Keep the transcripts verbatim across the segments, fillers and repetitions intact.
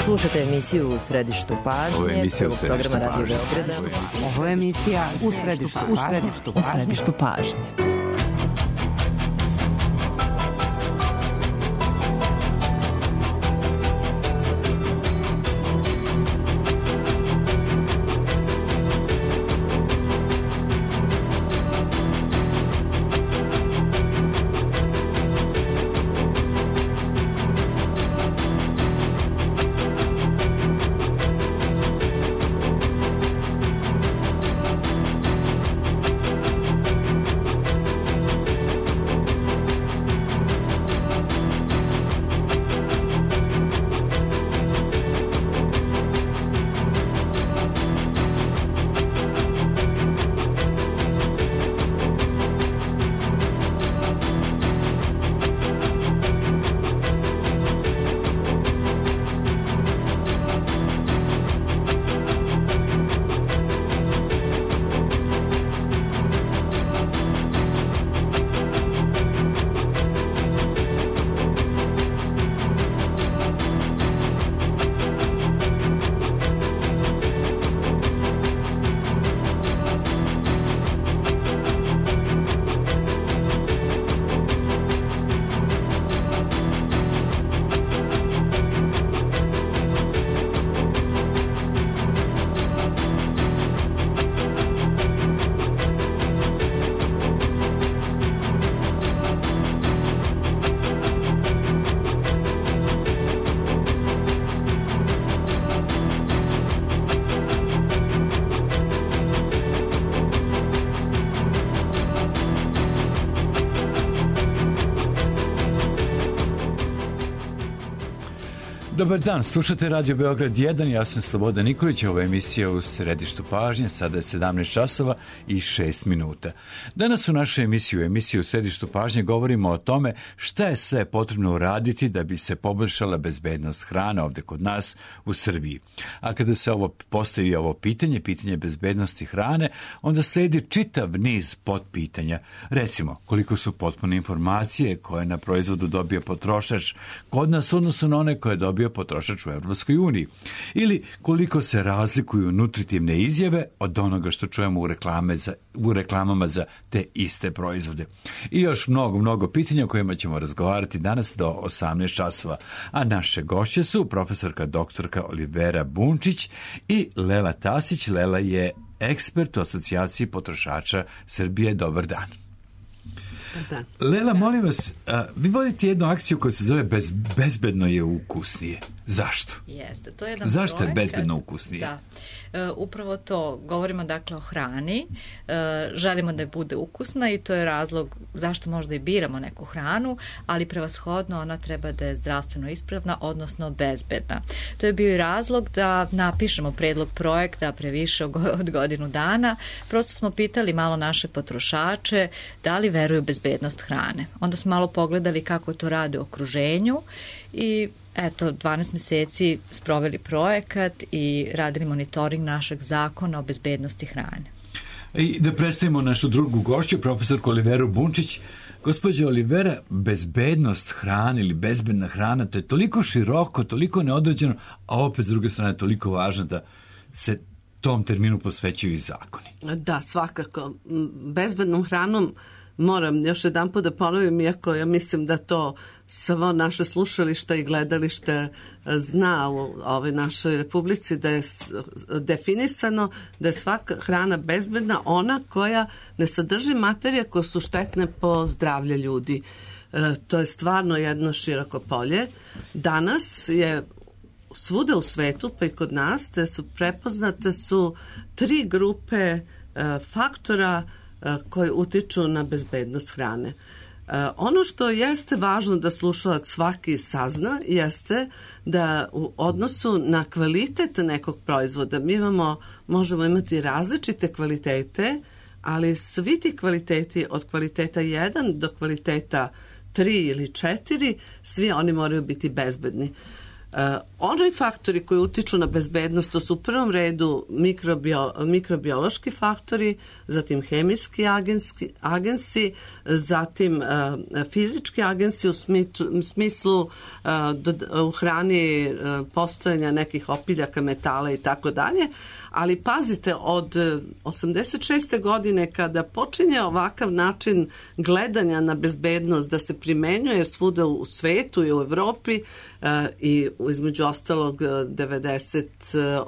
Slušate emisiju U središtu pažnje. Ovo je emisija U središtu pažnje. Ovo je emisija U središtu pažnje. U središtu pažnje. Dobar dan, slušate Radio Beograd jedan, ja sam Slobodan Nikolić, ovo je emisija U središtu pažnje, sada je sedamnaest časova i šest minuta. Danas u našoj emisiji, u emisiji U središtu pažnje, govorimo o tome šta je sve potrebno uraditi da bi se poboljšala bezbednost hrane ovde kod nas u Srbiji. A kada se ovo postavi ovo pitanje, pitanje bezbednosti hrane, onda sledi čitav niz potpitanja. Recimo, koliko su potpune informacije koje na proizvodu dobije potrošač kod nas u odnosu na one koje dobije potrošač u Evropskoj uniji. Ili koliko se razlikuju nutritivne izjave od onoga što čujemo u, reklame za, u reklamama za te iste proizvode. I još mnogo, mnogo pitanja o kojima ćemo razgovarati danas do osamnaest časova. A naše gošće su profesorka doktorka Olivera Bunčić i Lela Tasić. Lela je ekspert u asocijaciji potrošača Srbije. Dobar dan. Da. Lela, molim vas, a, vi vodite jednu akciju koja se zove Bez, Bezbedno je ukusnije. Zašto? Jeste, to je jedan Zašto projekat, je bezbedno ukusnije? Da, e, upravo to, govorimo dakle o hrani, e, želimo da je bude ukusna i to je razlog zašto možda i biramo neku hranu, ali prevashodno ona treba da je zdravstveno ispravna, odnosno bezbedna. To je bio i razlog da napišemo predlog projekta pre više od godinu dana. Prosto smo pitali malo naše potrošače da li veruju bezbednost hrane. Onda smo malo pogledali kako to rade u okruženju i eto, dvanaest meseci sproveli projekat i radili monitoring našeg zakona o bezbednosti hrane. I da predstavimo našu drugu gošću, profesorku Oliveru Bunčić. Gospođo Olivera, bezbednost hrane ili bezbedna hrana, to je toliko široko, toliko neodređeno, a opet s druge strane toliko važno da se tom terminu posvećuju i zakoni. Da, svakako. Bezbednom hranom moram još jedan put da ponovim, iako ja mislim da to svo naše slušalište i gledalište zna u ovoj našoj republici, da je definisano da je svaka hrana bezbedna, ona koja ne sadrži materije koje su štetne po zdravlje ljudi. E, to je stvarno jedno široko polje. Danas je svuda u svetu, pa i kod nas, te su prepoznate su tri grupe e, faktora e, koji utiču na bezbednost hrane. E, ono što jeste važno da slušalac svaki sazna jeste da u odnosu na kvalitet nekog proizvoda mi imamo, možemo imati različite kvalitete, ali svi ti kvaliteti od kvaliteta jedan do kvaliteta tri ili četiri, svi oni moraju biti bezbedni. Oni faktori koji utiču na bezbednost, to su u prvom redu mikrobio, mikrobiološki faktori, zatim hemijski agenski, agensi, zatim uh, fizički agensi u, smitu, u smislu uh, do, u hrani uh, postojanja nekih opiljaka, metala i tako dalje. Ali pazite, od osamdeset šeste godine kada počinje ovakav način gledanja na bezbednost da se primenjuje svuda u svetu i u Evropi uh, i između ostalog devedeset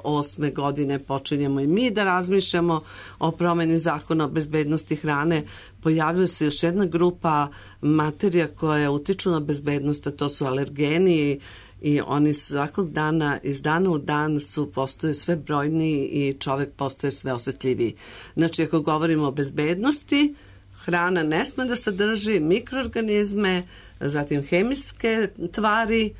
osme godine počinjemo i mi da razmišljamo o promeni zakona o bezbednosti hrane, pojavljuje se još jedna grupa materija koja utiču na bezbednost, a to su alergeni i oni svakog dana, iz dana u dan su postaju sve brojniji i čovek postaje sve osetljiviji. Znači, ako govorimo o bezbednosti, hrana ne sme da sadrži mikroorganizme, zatim hemijske tvari,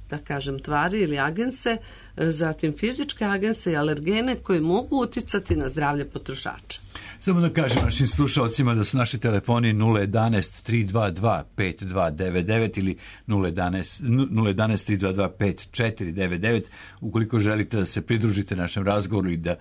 da kažem tvari ili agense, zatim fizičke agense i alergene koji mogu uticati na zdravlje potrošača. Samo da kažem našim slušalcima da su naši telefoni nula jedanaest tri dva dva pet dva devet devet ili nula jedanaest tri dva dva pet četiri devet devet ukoliko želite da se pridružite našem razgovoru i da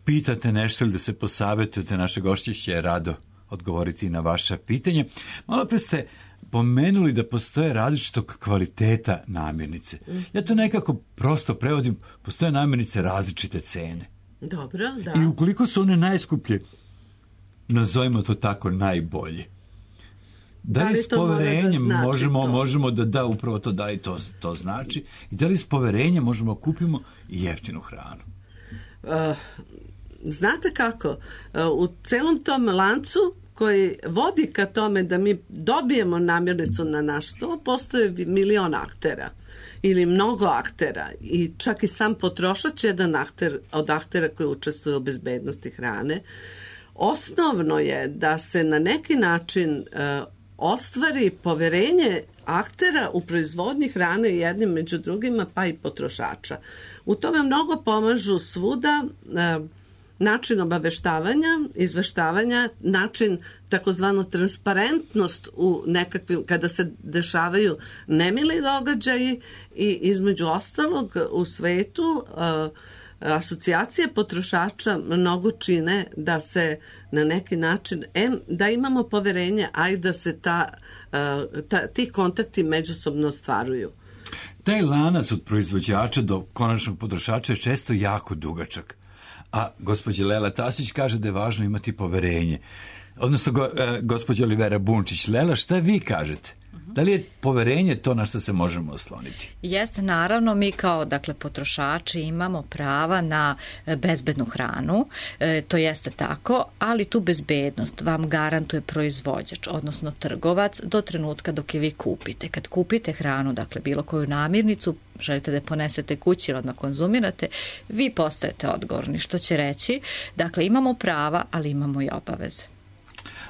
pitate nešto ili da se posavetujete, naše gošće će rado odgovoriti na vaša pitanja. Malo pre ste pomenuli da postoje različitog kvaliteta namirnice. Ja to nekako prosto prevodim, postoje namirnice različite cene. Dobro, da. I ukoliko su one najskuplje, nazovimo to tako, najbolje. Da li, da li s poverenjem da znači možemo, možemo da da upravo to, da li to, to znači i da li s poverenjem možemo kupimo i jeftinu hranu? Uh, znate kako? Uh, u celom tom lancu koji vodi ka tome da mi dobijemo namirnicu na naš sto, postoje milion aktera ili mnogo aktera i čak i sam potrošač je jedan akter od aktera koji učestvuje u bezbednosti hrane. Osnovno je da se na neki način uh, ostvari poverenje aktera u proizvodnji hrane jednim među drugima, pa i potrošača. U tome mnogo pomažu svuda uh, način obaveštavanja, izveštavanja, način takozvano transparentnost u nekakvim, kada se dešavaju nemili događaji i između ostalog u svetu uh, asocijacije potrošača mnogo čine da se na neki način, em, da imamo poverenje, a i da se ta, ta, ti kontakti međusobno ostvaruju. Taj lanac od proizvođača do konačnog potrošača je često jako dugačak. A gospođa Lela Tasić kaže da je važno imati poverenje. Odnosno, go, e, gospođa Olivera Bunčić. Lela, šta vi kažete? Da li je poverenje to na što se možemo osloniti? Jeste, naravno, mi kao dakle potrošači imamo prava na bezbednu hranu, e, to jeste tako, ali tu bezbednost vam garantuje proizvođač, odnosno trgovac, do trenutka dok je vi kupite. Kad kupite hranu, dakle bilo koju namirnicu, želite da je ponesete kući ili odmah konzumirate, vi postajete odgovorni, što će reći, dakle imamo prava, ali imamo i obaveze.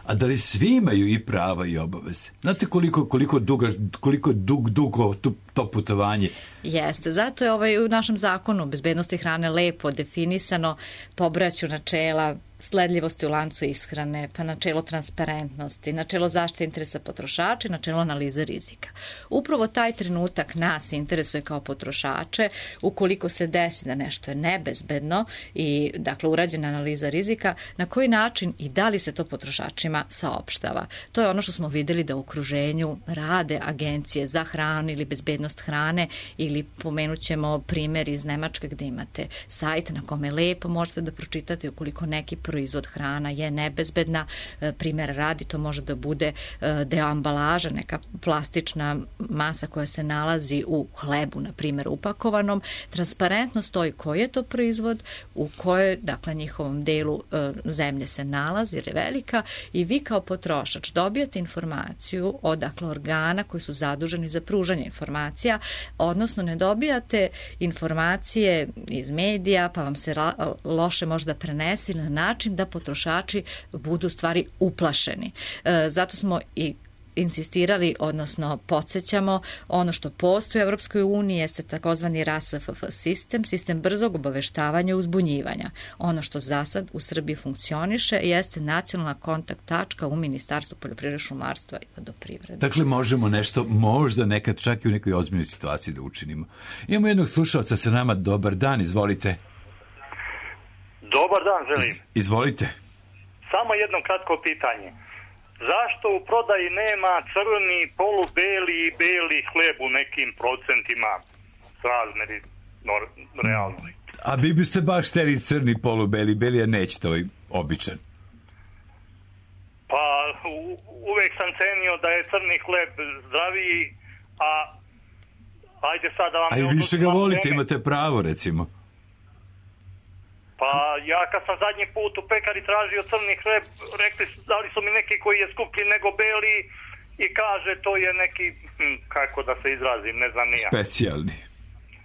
A da li svi imaju i prava i obaveze? Znate koliko, koliko, duga, koliko dug, dugo to, to putovanje? Jeste, zato je ovaj u našem zakonu bezbednosti hrane lepo definisano pobraću načela sledljivosti u lancu ishrane, pa načelo transparentnosti, načelo zaštite interesa potrošača i načelo analize rizika. Upravo taj trenutak nas interesuje kao potrošače, ukoliko se desi da nešto je nebezbedno i dakle urađena analiza rizika, na koji način i da li se to potrošačima saopštava. To je ono što smo videli da u okruženju rade agencije za hranu ili bezbednost hrane ili pomenut ćemo primjer iz Nemačke gde imate sajt na kome lepo možete da pročitate ukoliko neki proizvod hrana je nebezbedna, primjer radi, to može da bude deo ambalaža, neka plastična masa koja se nalazi u hlebu, na primjer upakovanom, transparentno stoji koji je to proizvod, u kojoj, dakle, njihovom delu zemlje se nalazi, jer je velika, i vi kao potrošač dobijate informaciju od, dakle, organa koji su zaduženi za pružanje informacija, odnosno ne dobijate informacije iz medija, pa vam se loše možda prenese na način da potrošači budu stvari uplašeni. E, zato smo i insistirali, odnosno podsjećamo, ono što postoji u Evropskoj uniji jeste takozvani R A S F F sistem, sistem brzog obaveštavanja i uzbunjivanja. Ono što za sad u Srbiji funkcioniše jeste nacionalna kontakt tačka u Ministarstvu poljoprivrede, šumarstva i vodoprivrede. Dakle, možemo nešto, možda nekad čak i u nekoj ozbiljnoj situaciji da učinimo. Imamo jednog slušalca sa nama. Dobar dan, izvolite. Dobar dan, želim. Izvolite. Samo jedno kratko pitanje. Zašto u prodaji nema crni, polubeli i beli hleb u nekim procentima srazmeri no, realno? A vi biste baš hteli crni, polubeli, beli, a nećete ovaj običan? Pa u, uvek sam cenio da je crni hleb zdraviji, a ajde sad da vam... A i više ga volite, imate pravo, recimo. Pa ja kad sam zadnji put u pekari tražio crni hleb, rekli, dali su mi neki koji je skuplji nego beli i kaže to je neki, hm, kako da se izrazim, ne znam nija. Specijalni.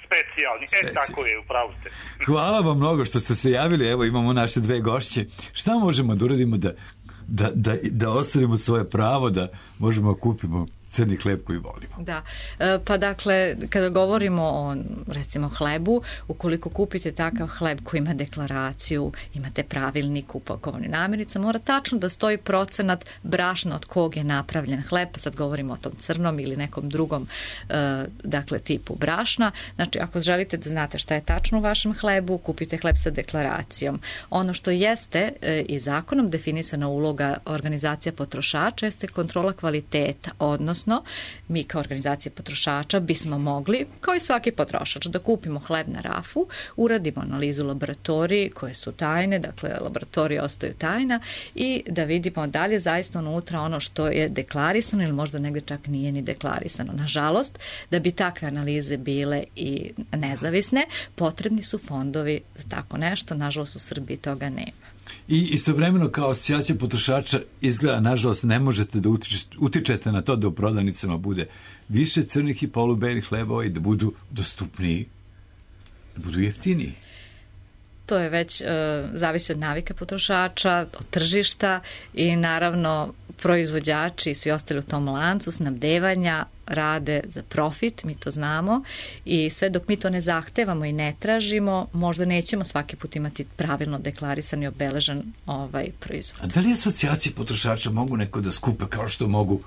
Specijalni, e Specijalni. Tako je, upravo ste. Hvala vam mnogo što ste se javili, evo imamo naše dve gošće. Šta možemo da uradimo da, da, da, da ostvarimo svoje pravo, da možemo kupimo crni hleb koji volimo? Da, pa dakle, kada govorimo o, recimo, hlebu, ukoliko kupite takav hleb koji ima deklaraciju, imate pravilnik upakovani namirnica, mora tačno da stoji procenat brašna od kog je napravljen hleb, sad govorimo o tom crnom ili nekom drugom, dakle, tipu brašna. Znači, ako želite da znate šta je tačno u vašem hlebu, kupite hleb sa deklaracijom. Ono što jeste i zakonom definisana uloga organizacija potrošača jeste kontrola kvaliteta, odnosno Odnosno, mi kao organizacija potrošača bismo mogli, kao i svaki potrošač, da kupimo hleb na rafu, uradimo analizu laboratoriji koje su tajne, dakle laboratorije ostaju tajna i da vidimo da li je zaista unutra ono što je deklarisano ili možda negde čak nije ni deklarisano. Nažalost, da bi takve analize bile i nezavisne, potrebni su fondovi za tako nešto. Nažalost, u Srbiji toga nema. I istovremeno kao asocijacija potrošača izgleda, nažalost, ne možete da utičete, utičete na to da u prodavnicama bude više crnih i polubelih hlebova i da budu dostupniji, da budu jeftiniji. To je već e, zavisi od navike potrošača, od tržišta i naravno proizvođači i svi ostali u tom lancu snabdevanja rade za profit, mi to znamo i sve dok mi to ne zahtevamo i ne tražimo, možda nećemo svaki put imati pravilno deklarisan i obeležen ovaj proizvod. A da li asocijacije potrošača mogu neko da skupe kao što mogu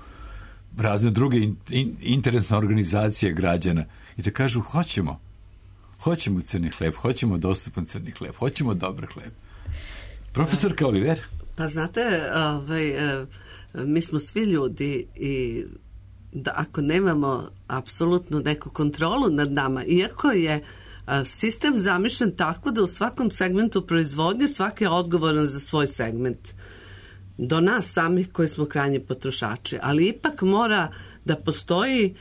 razne druge in, in, interesne organizacije građana i da kažu hoćemo, hoćemo crni hleb, hoćemo dostupan crni hleb, hoćemo dobar hleb. Profesorka Oliver? Pa znate, ovaj, mi smo svi ljudi i da ako nemamo apsolutno neku kontrolu nad nama, iako je sistem zamišljen tako da u svakom segmentu proizvodnje svaki je odgovoran za svoj segment. Do nas samih koji smo krajnji potrošači, ali ipak mora da postoji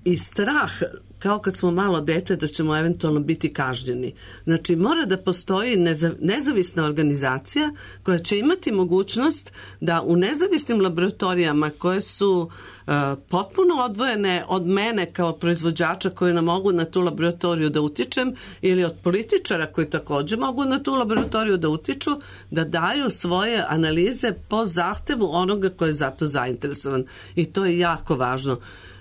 i strah, kao kad smo malo dete, da ćemo eventualno biti kažnjeni. Znači, mora da postoji nezavisna organizacija koja će imati mogućnost da u nezavisnim laboratorijama koje su uh, potpuno odvojene od mene kao proizvođača koji nam mogu na tu laboratoriju da utičem ili od političara koji također mogu na tu laboratoriju da utiču, da daju svoje analize po zahtevu onoga koji je za to zainteresovan. I to je jako važno.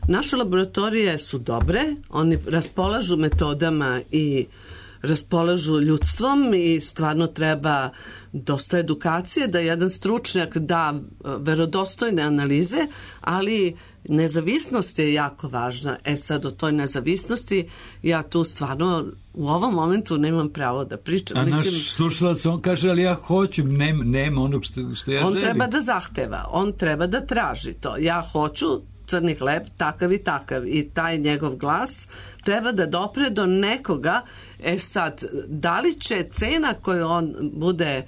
Naše laboratorije su dobre, oni raspolažu metodama i raspolažu ljudstvom i stvarno treba dosta edukacije da jedan stručnjak da verodostojne analize, ali nezavisnost je jako važna. E sad o toj nezavisnosti ja tu stvarno u ovom momentu nemam pravo da pričam. A Mislim, naš slušalac, on kaže, ali ja hoću, nema, nema onog što, što ja on želim. On treba da zahteva, on treba da traži to. Ja hoću crni hleb, takav i takav. I taj njegov glas treba da dopre do nekoga. E sad, da li će cena koju on bude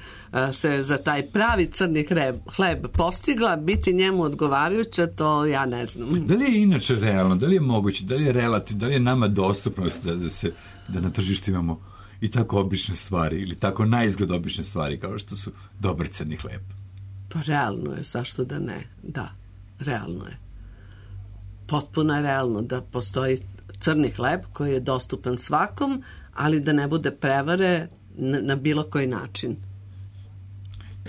se za taj pravi crni hleb, hleb postigla biti njemu odgovarajuća, to ja ne znam. Da li je inače realno, da li je moguće, da li je relativno, da li je nama dostupnost da, da, se, da na tržištu imamo i tako obične stvari ili tako naizgled obične stvari kao što su dobar crni hleb? Pa realno je, zašto da ne? Da, realno je. Potpuno je realno da postoji crni hleb koji je dostupan svakom, ali da ne bude prevare na, na bilo koji način.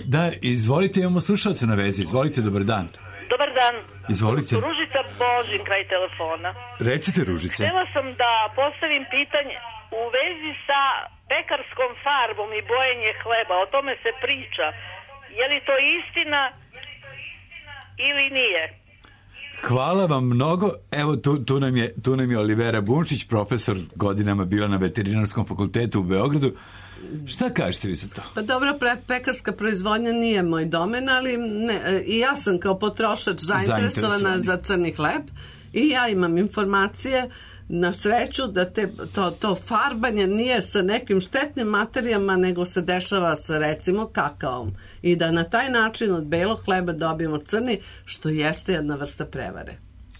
Da, izvolite, imamo slušalce na vezi. Izvolite, dobar dan. Dobar dan. Izvolite. Ružica Božin, kraj telefona. Recite, Ružice. Htjela sam da postavim pitanje u vezi sa pekarskom farbom i bojenje hleba. O tome se priča. Je li to istina ili nije? Hvala vam mnogo. Evo, tu, tu, nam je, tu nam je Olivera Bunčić, profesor, godinama bila na Veterinarskom fakultetu u Beogradu. Šta kažete vi za to? Pa dobro, pre, pekarska proizvodnja nije moj domen, ali ne, i ja sam kao potrošač zainteresovana za crni hleb i ja imam informacije na sreću da te, to, to farbanje nije sa nekim štetnim materijama, nego se dešava sa recimo kakaom i da na taj način od belog hleba dobijemo crni, što jeste jedna vrsta prevare.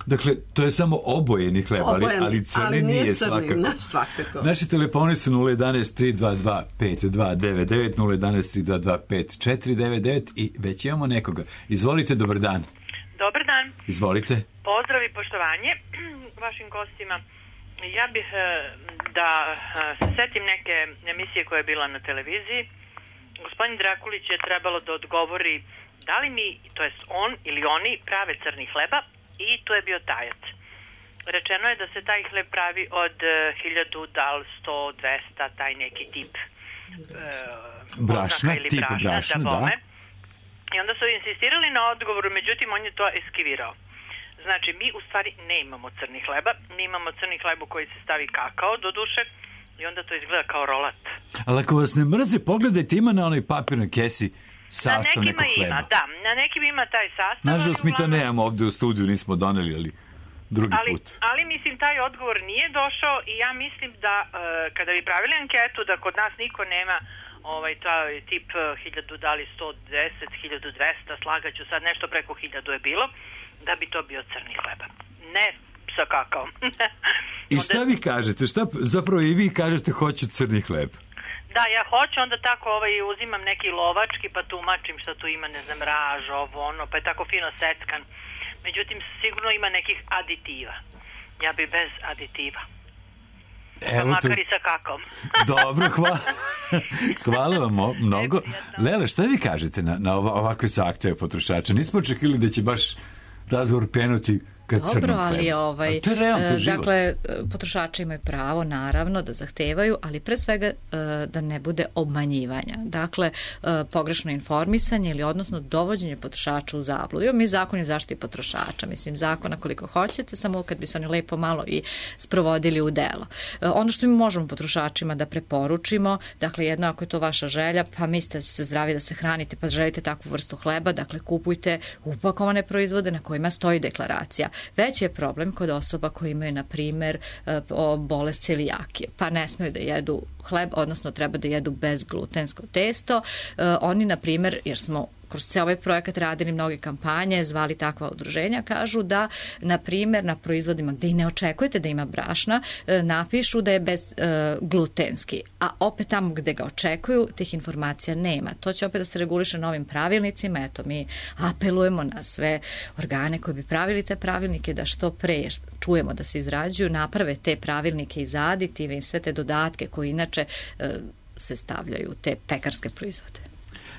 Dakle, to je samo obojeni hleb, Obojen, ali, ali crni ali nije, nije crni, svakako. Ne, svakako. Naši telefoni su nula jedan tri dva dva pet dva devet devet, nula jedan tri dva dva pet četiri devet devet i već imamo nekoga. Izvolite, dobar dan. Dobar dan. Izvolite. Pozdrav i poštovanje vašim gostima. Ja bih da se setim neke emisije koja je bila na televiziji. Gospodin Drakulić je trebalo da odgovori da li mi, to jest on ili oni, prave crni hleba i to je bio tajac. Rečeno je da se taj hleb pravi od hiljadu, dal, sto, dvesta, taj neki tip e, brašna, ili tip brašna, brašna, da, da. I onda su insistirali na odgovoru, međutim on je to eskivirao. Znači, mi u stvari ne imamo crni hleba, mi imamo crni hleb u koji se stavi kakao, do duše, i onda to izgleda kao rolat. Ali ako vas ne mrze, pogledajte, ima na onoj papirnoj kesi sastav nekog hleba. Ima, da, na nekim ima taj sastav. Nažalost, mi to nemamo ovde u studiju, nismo doneli, ali drugi ali, put. Ali, mislim, taj odgovor nije došao i ja mislim da, uh, kada bi pravili anketu, da kod nas niko nema ovaj, taj tip hiljadu, dali sto deset, hiljadu dvesta, slagaću sad, nešto preko hiljadu je bilo, da bi to bio crni hleba. Ne sa kakaom. I šta vi kažete? Šta, zapravo i vi kažete hoću crni hleb? Da, ja hoću, onda tako ovaj, uzimam neki lovački pa tumačim šta tu ima, ne znam, raž, ovo, ono, pa je tako fino seckan. Međutim, sigurno ima nekih aditiva. Ja bi bez aditiva. Evo pa makar to... i sa kakom. Dobro, hvala. Hvala vam mnogo. Lela, šta vi kažete na, na ovakve zahteve potrošača? Nismo očekili da će baš razgovor krenuti ka crnom hlebu. Dobro, ali ovaj, to je realno, to je život. Dakle, potrošači imaju pravo, naravno, da zahtevaju, ali pre svega da ne bude obmanjivanja. Dakle, pogrešno informisanje ili odnosno dovođenje potrošača u zabludu. Mi zakon je zaštiti potrošača, mislim, zakona koliko hoćete, samo kad bi se oni lepo malo i sprovodili u delo. Ono što mi možemo potrošačima da preporučimo, dakle, jedno ako je to vaša želja, pa mislite da ste zdravi da se hranite, pa želite takvu vrstu hleba, dakle, kupujte upakovane proizvode na kojima stoji deklaracija. Veći je problem kod osoba koji imaju, na primer, bolest celijakije, pa ne smeju da jedu hleb, odnosno treba da jedu bezglutensko testo. Oni, na primer, jer smo kroz cijel ovaj projekat radili mnoge kampanje, zvali takva udruženja, kažu da, na primjer, na proizvodima gde i ne očekujete da ima brašna, napišu da je bezglutenski, a opet tamo gde ga očekuju, tih informacija nema. To će opet da se reguliše novim pravilnicima. Eto, mi apelujemo na sve organe koji bi pravili te pravilnike da što pre čujemo da se izrađuju, naprave te pravilnike iz aditive i sve te dodatke koji inače se stavljaju te pekarske proizvode.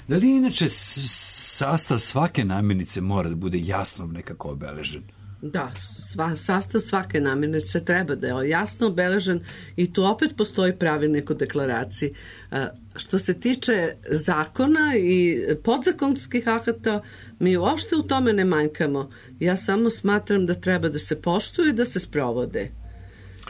Da li inače sastav svake namirnice mora da bude jasno nekako obeležen? Da, sva, sastav svake namirnice treba da je jasno obeležen i tu opet postoji pravilnik o deklaraciji. Što se tiče zakona i podzakonskih akata, mi uopšte u tome ne manjkamo. Ja samo smatram da treba da se poštuju i da se sprovode.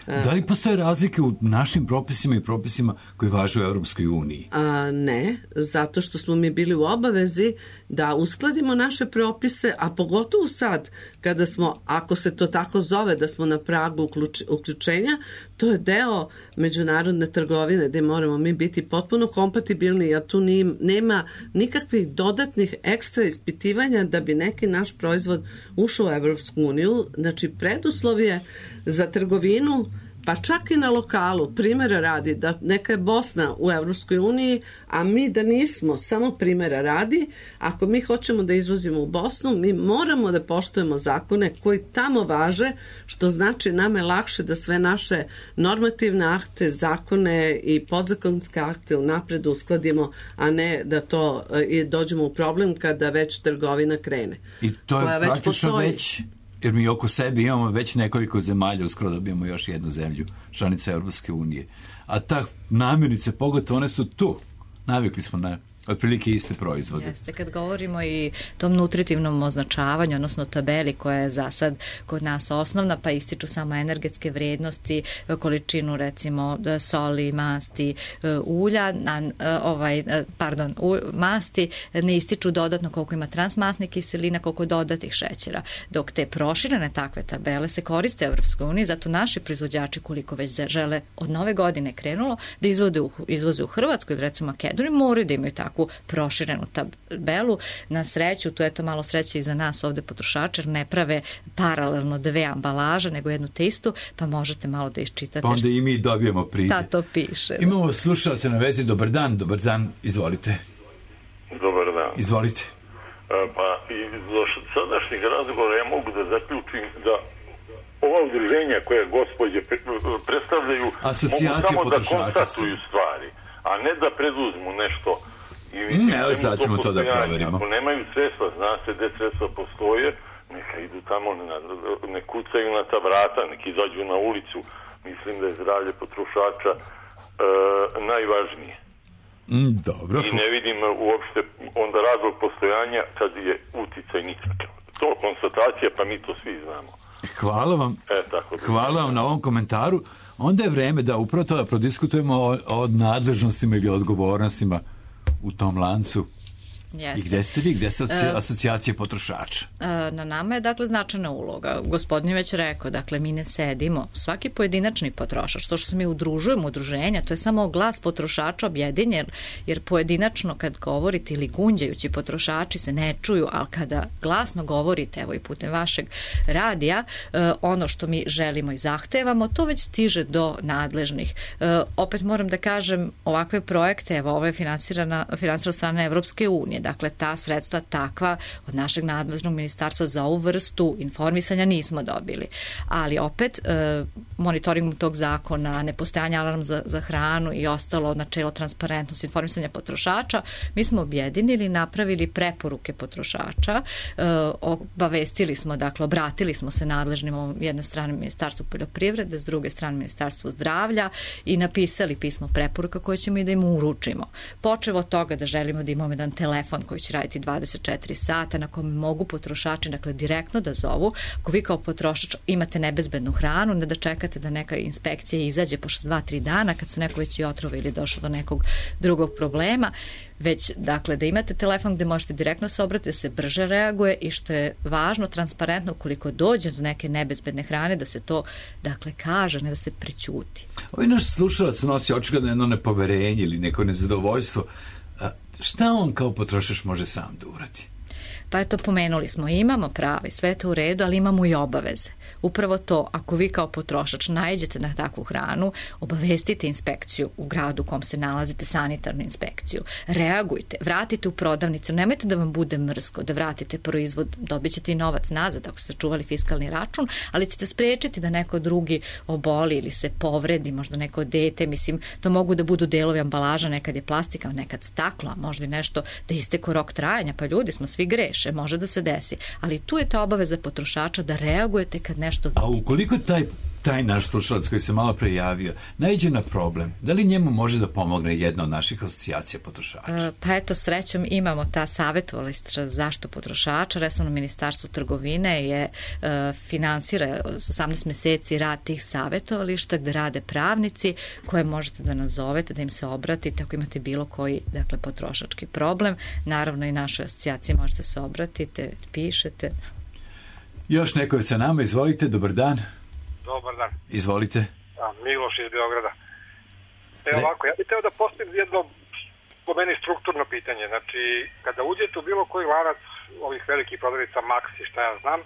Da li postoje razlike u našim propisima i propisima koji važe u Europskoj uniji? A, ne, zato što smo mi bili u obavezi da uskladimo naše propise, a pogotovo sad, kada smo, ako se to tako zove, da smo na pragu uključ, uključenja, to je deo međunarodne trgovine gde moramo mi biti potpuno kompatibilni, a tu ni, nema nikakvih dodatnih ekstra ispitivanja da bi neki naš proizvod ušao u Evropsku uniju. Znači, preduslov je za trgovinu pa čak i na lokalu, primjera radi, da neka je Bosna u Evropskoj uniji, a mi da nismo, samo primjera radi, ako mi hoćemo da izvozimo u Bosnu, mi moramo da poštujemo zakone koji tamo važe, što znači nam je lakše da sve naše normativne akte, zakone i podzakonske akte unapred uskladimo, a ne da to i dođemo u problem kada već trgovina krene. I to je već praktično postoji. već, jer mi oko sebe imamo već nekoliko zemalja, uskoro dobijemo još jednu zemlju, članica Europske unije. A ta namirnice, pogotovo one su tu. Navikli smo na otprilike iste proizvode. Jeste, kad govorimo i tom nutritivnom označavanju, odnosno tabeli koja je za sad kod nas osnovna, pa ističu samo energetske vrednosti, količinu recimo soli, masti, ulja, ovaj, pardon, masti, ne ističu dodatno koliko ima transmasnih kiselina, koliko dodatih šećera. Dok te proširene takve tabele se koriste u Evropskoj uniji, zato naši proizvođači, koliko već žele od nove godine krenulo, da izvode u, izvoze u Hrvatsku ili recimo Makedoniju, moraju da imaju takvu proširenu tabelu. Na sreću, tu je to malo sreće i za nas ovde potrošača, jer ne prave paralelno dve ambalaže, nego jednu te istu, pa možete malo da iščitate. Pa onda i mi dobijemo pride. Da, to piše. Imamo slušalce na vezi. Dobar dan, dobar dan, izvolite. Dobar dan. Izvolite. Pa iz sadašnjeg razgovora ja mogu da zaključim da ova udruženja koje gospođe predstavljaju asocijacije mogu samo potrošača da konstatuju stvari, a ne da preduzmu nešto. I, ne, ali sad ćemo to da proverimo. Ako nemaju sredstva, zna se gde sredstva postoje, neka idu tamo, ne kucaju na ta vrata, neki izađu na ulicu. Mislim da je zdravlje potrošača e, najvažnije. Mm, dobro. I ne vidim uopšte onda razlog postojanja kad je uticaj nikakav. To konstatacija, pa mi to svi znamo. Hvala vam. E, tako da Hvala vam na ovom komentaru. Onda je vreme da upravo to da prodiskutujemo o, o nadležnostima ili odgovornostima u tom lancu. Jeste. I gde ste vi? Gde ste asocijacije potrošača? Na nama je, dakle, značajna uloga. Gospodin je već rekao, dakle, mi ne sedimo. Svaki pojedinačni potrošač, to što se mi udružujemo, udruženja, to je samo glas potrošača objedinjen, jer pojedinačno kad govorite ili gunđajući potrošači se ne čuju, ali kada glasno govorite, evo i putem vašeg radija, ono što mi želimo i zahtevamo, to već stiže do nadležnih. Opet moram da kažem, ovakve projekte, evo, ovo je finansirana, finansirana od strane Evropske unije. Dakle, ta sredstva takva od našeg nadležnog ministarstva za ovu vrstu informisanja nismo dobili. Ali opet, e, monitoringom tog zakona, nepostojanje alarm za, za hranu i ostalo načelo transparentnosti informisanja potrošača, mi smo objedinili, napravili preporuke potrošača, e, obavestili smo, dakle, obratili smo se nadležnim jedne strane Ministarstvu poljoprivrede, s druge strane Ministarstvu zdravlja i napisali pismo preporuka koje ćemo i da im uručimo. Počevo od toga da želimo da imamo jedan telefon koji će raditi dvadeset četiri sata na kome mogu potrošači, dakle, direktno da zovu. Ako vi kao potrošač imate nebezbednu hranu, ne da čekate da neka inspekcija izađe posle dva tri dana kad su neko već i otrova ili došlo do nekog drugog problema, već, dakle, da imate telefon gde možete direktno se obratiti, da se brže reaguje i što je važno, transparentno, koliko dođe do neke nebezbedne hrane, da se to, dakle, kaže, ne da se prećuti. Ovaj naš slušalac nosi očigledno jedno nepoverenje ili neko nezadovoljstvo. Šta on kao potrošač može sam da uradi? Pa eto, pomenuli smo, imamo pravo i sve to u redu, ali imamo i obaveze. Upravo to, ako vi kao potrošač naiđete na takvu hranu, obavestite inspekciju u gradu u kom se nalazite, sanitarnu inspekciju. Reagujte, vratite u prodavnicu, nemojte da vam bude mrsko, da vratite proizvod, dobit ćete i novac nazad ako ste čuvali fiskalni račun, ali ćete sprečiti da neko drugi oboli ili se povredi, možda neko dete, mislim, to mogu da budu delovi ambalaža, nekad je plastika, nekad staklo, a možda i nešto da isteko rok trajanja, pa ljudi smo svi greši. Može da se desi, ali tu je ta obaveza potrošača da reagujete kad nešto vidite. A ukoliko taj, taj naš slušalac koji se malo prejavio naiđe na problem, da li njemu može da pomogne jedna od naših asocijacija potrošača? E, pa eto, srećom imamo ta savjetovališta za zaštitu potrošača. Resorno ministarstvo trgovine je e, finansira osamnaest meseci rad tih savjetovališta gde rade pravnici koje možete da nazovete, da im se obratite ako imate bilo koji, dakle, potrošački problem. Naravno i našoj asocijaciji možete se obratite, pišete. Još neko je sa nama, izvolite, dobar dan. Dobar dan. Izvolite. A, Miloš iz Beograda. Evo ovako, ja bih teo da postavim jedno, po meni, strukturno pitanje. Znači, kada uđete u bilo koji lanac ovih velikih prodavnica Maxi, šta ja znam,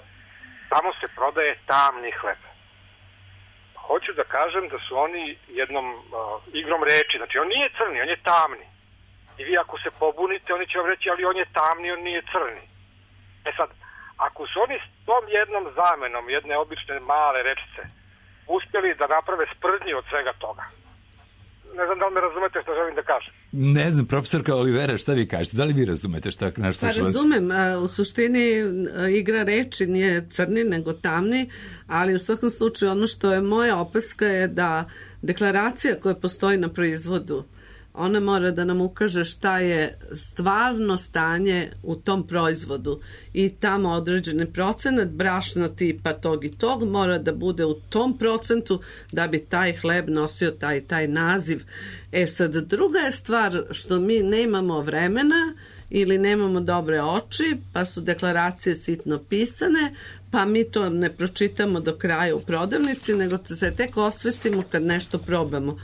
tamo se prodaje tamni hleb. hoću da kažem da su oni jednom uh, igrom reči, znači on nije crni, on je tamni. I vi ako se pobunite, oni će vam reći, ali on je tamni, on nije crni. E sad, ako su oni s tom jednom zamenom, jedne obične male rečice, uspjeli da naprave sprdnji od svega toga, ne znam da li me razumete što želim da kažem. Ne znam, profesorka Olivera, šta vi kažete? Da li vi razumete šta naš slušalac? Pa razumem, u suštini igra reči nije crni nego tamni, ali u svakom slučaju ono što je moja opaska je da deklaracija koja postoji na proizvodu, ona mora da nam ukaže šta je stvarno stanje u tom proizvodu i tamo određeni procenat brašna tipa tog i tog mora da bude u tom procentu da bi taj hleb nosio taj taj naziv. E sad, druga je stvar što mi nemamo vremena ili nemamo dobre oči, pa su deklaracije sitno pisane, pa mi to ne pročitamo do kraja u prodavnici, nego se tek osvestimo kad nešto probamo.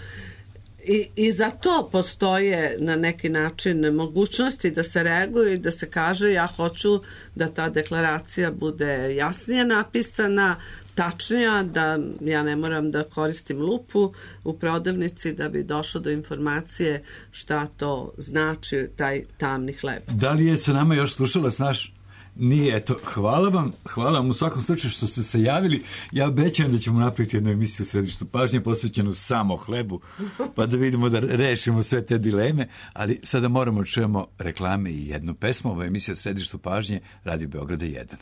I, I za to postoje na neki način mogućnosti da se reaguje i da se kaže ja hoću da ta deklaracija bude jasnije napisana, tačnija, da ja ne moram da koristim lupu u prodavnici da bi došlo do informacije šta to znači taj tamni hleb. Da li je sa nama još slušalac naš? Nije, eto, hvala vam, hvala vam u svakom slučaju što ste se javili. Ja obećam da ćemo napraviti jednu emisiju u Središtu pažnje posvećenu samo hlebu, pa da vidimo da rešimo sve te dileme, ali sada moramo čujemo reklame i jednu pesmu. Ovo je emisija u Središtu pažnje, Radio Beograda jedan.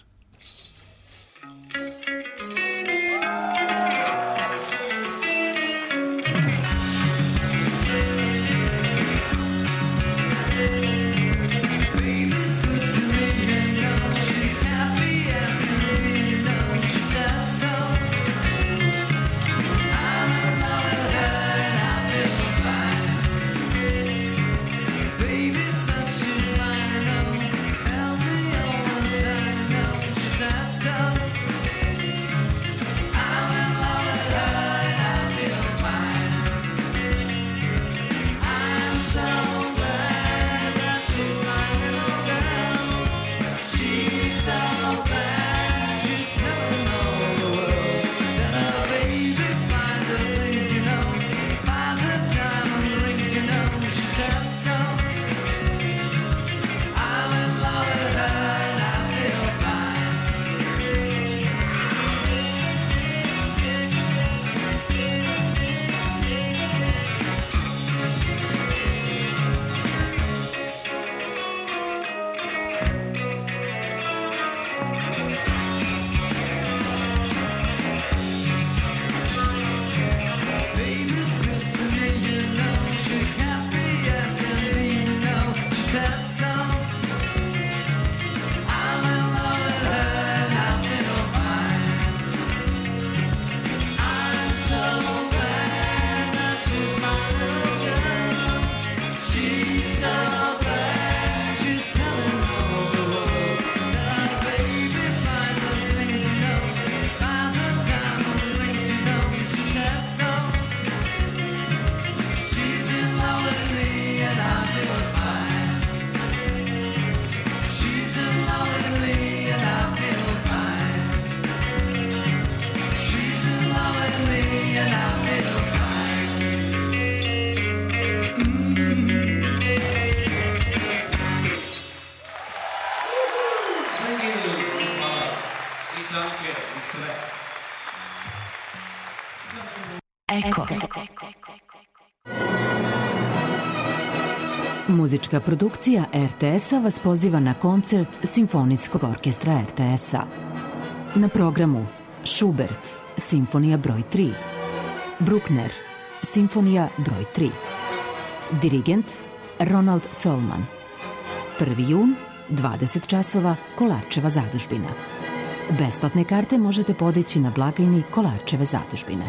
Eko. Muzička produkcija R T S-a vas poziva na koncert Simfonijskog orkestra R T S-a. Na programu Schubert, Simfonija broj tri. Bruckner, Simfonija broj tri. Dirigent Ronald Colman. prvi jun, dvadeset časova, Kolarčeva zadužbina. Besplatne karte možete podići na blagajni Kolarčeve zadužbine.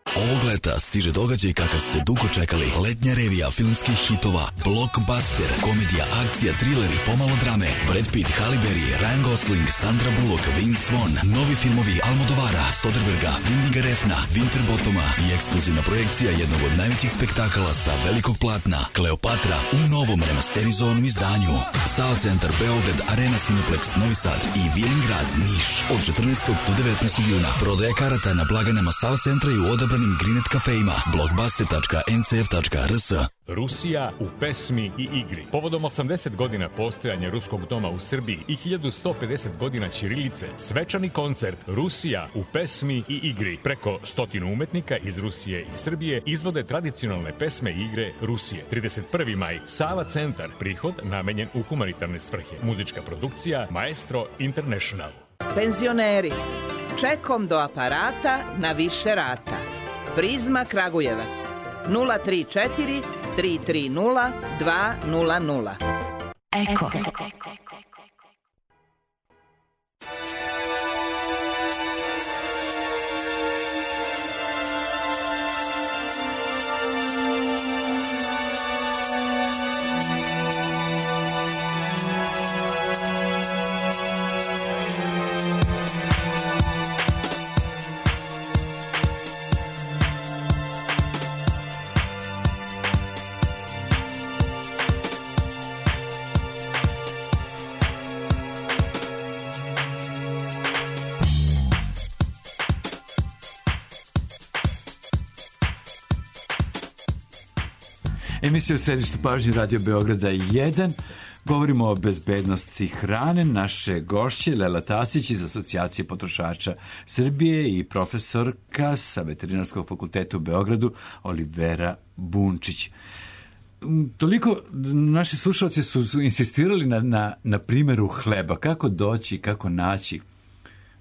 Ogle leta stiže događaj kakav ste dugo čekali. Letnja revija filmskih hitova, blockbuster, komedija, akcija, trileri, pomalo drame, Brad Pitt, Halle Berry, Ryan Gosling, Sandra Bullock, Vince Vaughn, novi filmovi Almodovara, Soderberga, Windiga Refna, Winterbottoma i ekskluzivna projekcija jednog od najvećih spektakala sa velikog platna, Kleopatra, u novom remasterizovanom izdanju. Sava centar Beograd, Arena Cineplex Novi Sad i Vilingrad Niš od četrnaestog do devetnaestog juna. Prodaja karata na blagajnama Sava centra i u odabranim Grinet kafejima. blockbuster tačka m c f tačka r s. Rusija u pesmi i igri. Povodom osamdeset godina postojanja Ruskog doma u Srbiji i hiljadu sto pedeset godina ćirilice, svečani koncert Rusija u pesmi i igri. Preko stotinu umetnika iz Rusije i Srbije izvode tradicionalne pesme i igre Rusije. trideset prvi maj, Sava centar, prihod namenjen u humanitarne svrhe. Muzička produkcija Maestro International. Penzioneri, čekom do aparata na više rata. Prizma Kragujevac, nula tri četiri tri tri nula dva nula nula. Eko. Emisija u središtu pažnje Radio Beograda jedan. Govorimo o bezbednosti hrane. Naše gošće Lela Tasić iz Asocijacije potrošača Srbije i profesorka sa Veterinarskog fakulteta u Beogradu Olivera Bunčić. Toliko naši slušalci su insistirali na, na, na primjeru hleba. Kako doći, kako naći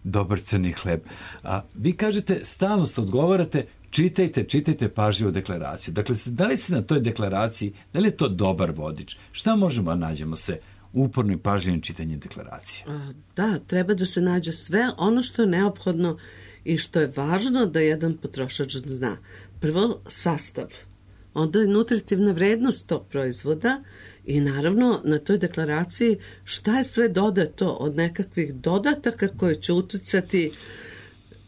dobar crni hleb. A vi kažete, stalno ste odgovarate, čitajte, čitajte pažljivo deklaraciju. Dakle, da li se na toj deklaraciji, da li je to dobar vodič? Šta možemo da nađemo se uporno i pažljivim čitanjem deklaracije? Da, treba da se nađe sve ono što je neophodno i što je važno da jedan potrošač zna. Prvo, sastav. Onda je nutritivna vrednost tog proizvoda i naravno na toj deklaraciji šta je sve dodato od nekakvih dodataka koje će uticati.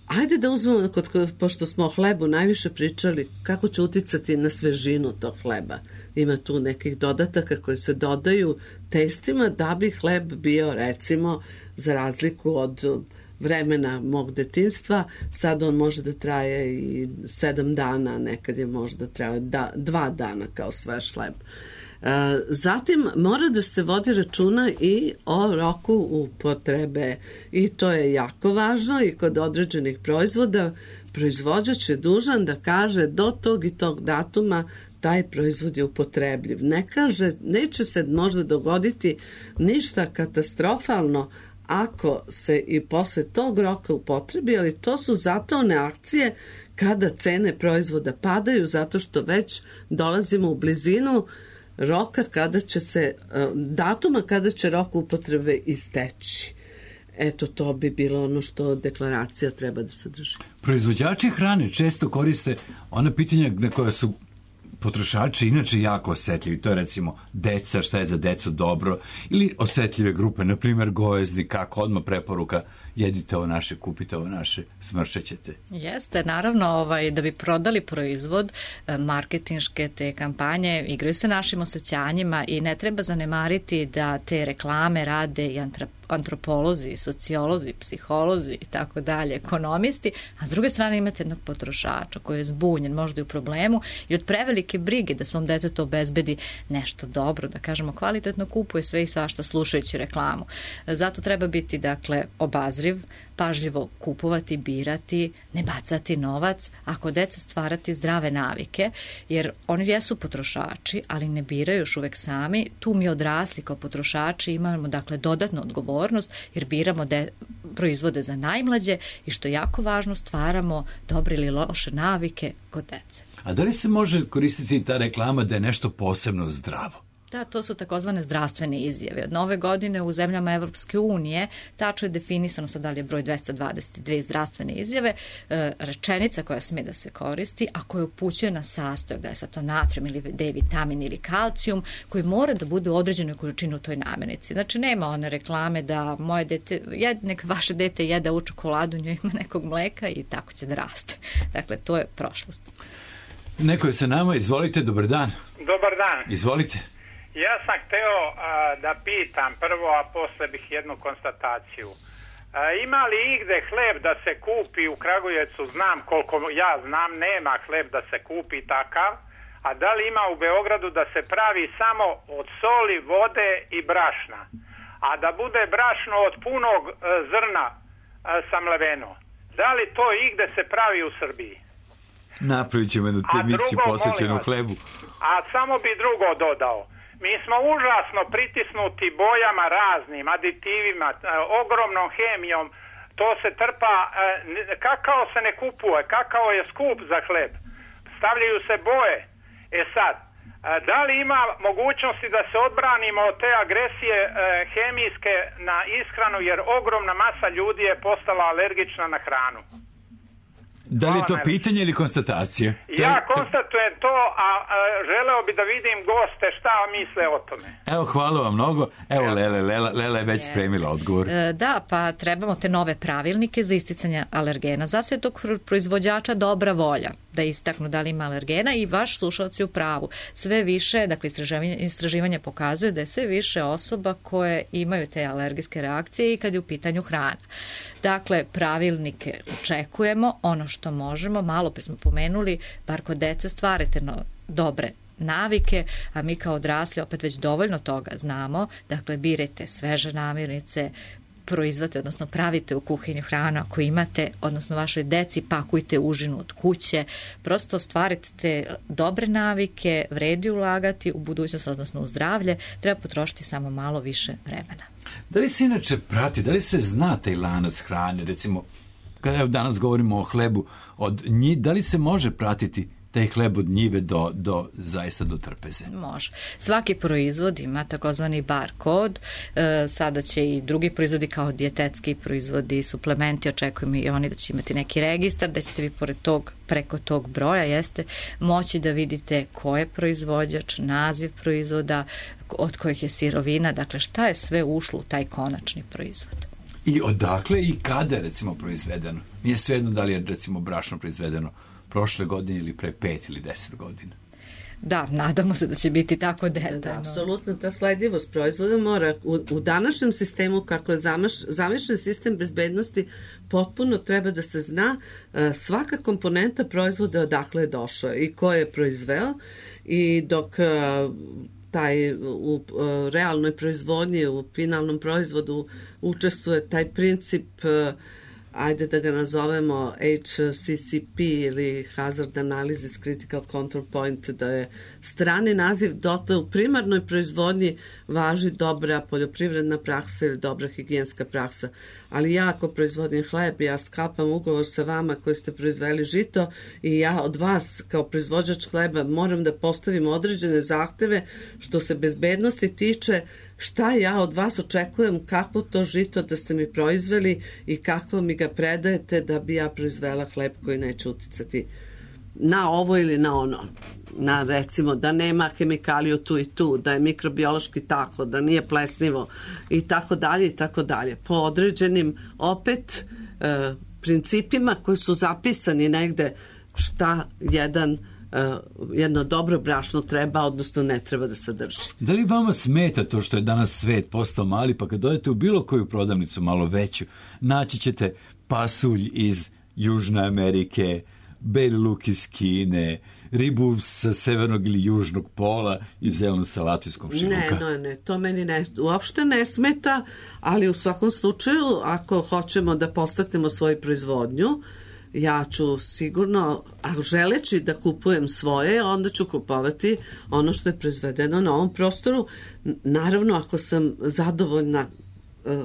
Ajde da uzmemo, kod, pošto smo o hlebu najviše pričali, kako će uticati na svežinu tog hleba. Ima tu nekih dodataka koji se dodaju testima da bi hleb bio, recimo, za razliku od vremena mog detinjstva, sad on može da traje i sedam dana, nekad je možda traje da, dva dana kao svež hleb. Zatim mora da se vodi računa i o roku upotrebe i to je jako važno i kod određenih proizvoda proizvođač je dužan da kaže do tog i tog datuma taj proizvod je upotrebljiv. Ne kaže, neće se možda dogoditi ništa katastrofalno ako se i posle tog roka upotrebi, ali to su zato one akcije kada cene proizvoda padaju zato što već dolazimo u blizinu roka kada će se, datuma kada će rok upotrebe isteći. Eto, to bi bilo ono što deklaracija treba da sadrži. Proizvođači hrane često koriste ona pitanja na koja su potrošači inače jako osetljivi. To je recimo deca, šta je za decu dobro, ili osetljive grupe, na primjer gojezni, kako odmah preporuka, jedite ovo naše, kupite ovo naše, smršećete. Jeste, naravno, ovaj, da bi prodali proizvod, marketinške te kampanje igraju se našim osjećanjima i ne treba zanemariti da te reklame rade i antropolozi, sociolozi, psiholozi i tako dalje, ekonomisti, a s druge strane imate jednog potrošača koji je zbunjen, možda i u problemu i od prevelike brige da svom detetu obezbedi nešto dobro, da kažemo kvalitetno, kupuje sve i svašta slušajući reklamu. Zato treba biti, dakle, obazriv, pažljivo kupovati, birati, ne bacati novac, ako deca stvarati zdrave navike, jer oni jesu potrošači, ali ne biraju još uvek sami. Tu mi odrasli kao potrošači imamo, dakle, dodatnu odgovornost, jer biramo de, proizvode za najmlađe i što je jako važno, stvaramo dobre ili loše navike kod dece. A da li se može koristiti ta reklama da je nešto posebno zdravo? Da, to su takozvane zdravstvene izjave. Od nove godine u zemljama Evropske unije tačno je definisano, sad da li je broj dvesta dvadeset dve zdravstvene izjave, e, rečenica koja sme da se koristi, a koja upućuje na sastojak, da je sad to natrium ili D vitamin ili kalcijum, koji mora da bude u određenoj količini u toj namirnici. Znači, nema one reklame da moje dete, jed, nek vaše dete jede u čokoladu, njoj ima nekog mleka i tako će da raste. Dakle, to je prošlost. Neko je sa nama, izvolite, dobar dan. Dobar dan. Izvolite. Ja sam hteo a, da pitam prvo, a posle bih jednu konstataciju. A, ima li igde hleb da se kupi u Kragujevcu? Znam, koliko ja znam, nema hleb da se kupi takav. A da li ima u Beogradu da se pravi samo od soli, vode i brašna? A da bude brašno od punog a, zrna a, samleveno. Da li to igde se pravi u Srbiji? Napravit ćemo jednu emisiju posvećenu hlebu. A samo bi drugo dodao. Mi smo užasno pritisnuti bojama raznim, aditivima, ogromnom hemijom. To se trpa, kakao se ne kupuje, kakao je skup za hleb. Stavljaju se boje. E sad, da li ima mogućnosti da se odbranimo od te agresije hemijske na ishranu, jer ogromna masa ljudi je postala alergična na hranu? Da li je to pitanje ili konstatacija? Ja konstatujem to, a, a želeo bi da vidim goste šta misle o tome. Evo, hvala vam mnogo. Evo, Lele, Lela, Lela je već yes. spremila odgovor. E, da, pa trebamo te nove pravilnike za isticanje alergena. Zase je tog proizvođača dobra volja da istaknu da li ima alergena i vaš slušalac je u pravu. Sve više, dakle, istraživanje, istraživanje pokazuje da je sve više osoba koje imaju te alergijske reakcije i kad je u pitanju hrana. Dakle, pravilnike očekujemo, ono što možemo, malo pre smo pomenuli, bar kod dece stvarite no, dobre navike, a mi kao odrasli opet već dovoljno toga znamo, dakle, birajte sveže namirnice, proizvate, odnosno pravite u kuhinju hranu ako imate, odnosno vašoj deci pakujte užinu od kuće, prosto stvarite te dobre navike, vredi ulagati u budućnost, odnosno u zdravlje, treba potrošiti samo malo više vremena. Da li se inače prati, da li se zna taj lanac hrane, recimo, kada danas govorimo o hlebu od nji, da li se može pratiti taj hleb od njive do, do zaista do trpeze? Može. Svaki proizvod ima takozvani bar kod, e, sada će i drugi proizvodi kao dijetetski proizvodi, suplementi, očekujemo i oni da će imati neki registar, da ćete vi pored tog, preko tog broja, jeste, moći da vidite ko je proizvođač, naziv proizvoda, od kojih je sirovina, dakle šta je sve ušlo u taj konačni proizvod. I odakle i kada je, recimo, proizvedeno? Nije svejedno da li je, recimo, brašno proizvedeno prošle godine ili pre pet ili deset godina. Da, nadamo se da će biti tako detaljno. Da, da, apsolutno, ta sledljivost proizvoda mora u, u današnjem sistemu, kako je zamišljen sistem bezbednosti, potpuno treba da se zna uh, svaka komponenta proizvoda odakle je došla i ko je proizveo, i dok uh, taj u, u realnoj proizvodnji, u finalnom proizvodu učestvuje taj princip, uh, ajde da ga nazovemo H C C P ili Hazard Analysis Critical Control Point, da je strani naziv, dotle u primarnoj proizvodnji važi dobra poljoprivredna praksa ili dobra higijenska praksa. Ali ja ako proizvodim hleb, ja sklapam ugovor sa vama koji ste proizveli žito i ja od vas kao proizvođač hleba moram da postavim određene zahteve što se bezbednosti tiče, šta ja od vas očekujem, kakvo to žito da ste mi proizveli i kako mi ga predajete da bi ja proizvela hleb koji neće uticati na ovo ili na ono. Na, recimo, da nema hemikaliju tu i tu, da je mikrobiološki tako, da nije plesnivo i tako dalje i tako dalje. Po određenim opet e, principima koji su zapisani negde šta jedan Uh, jedno dobro brašno treba, odnosno ne treba da sadrži. Da li vama smeta to što je danas svet postao mali, pa kad dođete u bilo koju prodavnicu malo veću, naći ćete pasulj iz Južne Amerike, beli luk iz Kine, ribu sa severnog ili južnog pola i zelenu salatu iz komšiluka? Ne, ne, ne, to meni ne, uopšte ne smeta, ali u svakom slučaju, ako hoćemo da postaknemo svoju proizvodnju, ja ću sigurno, a želeći da kupujem svoje, onda ću kupovati ono što je proizvedeno na ovom prostoru. Naravno, ako sam zadovoljna uh,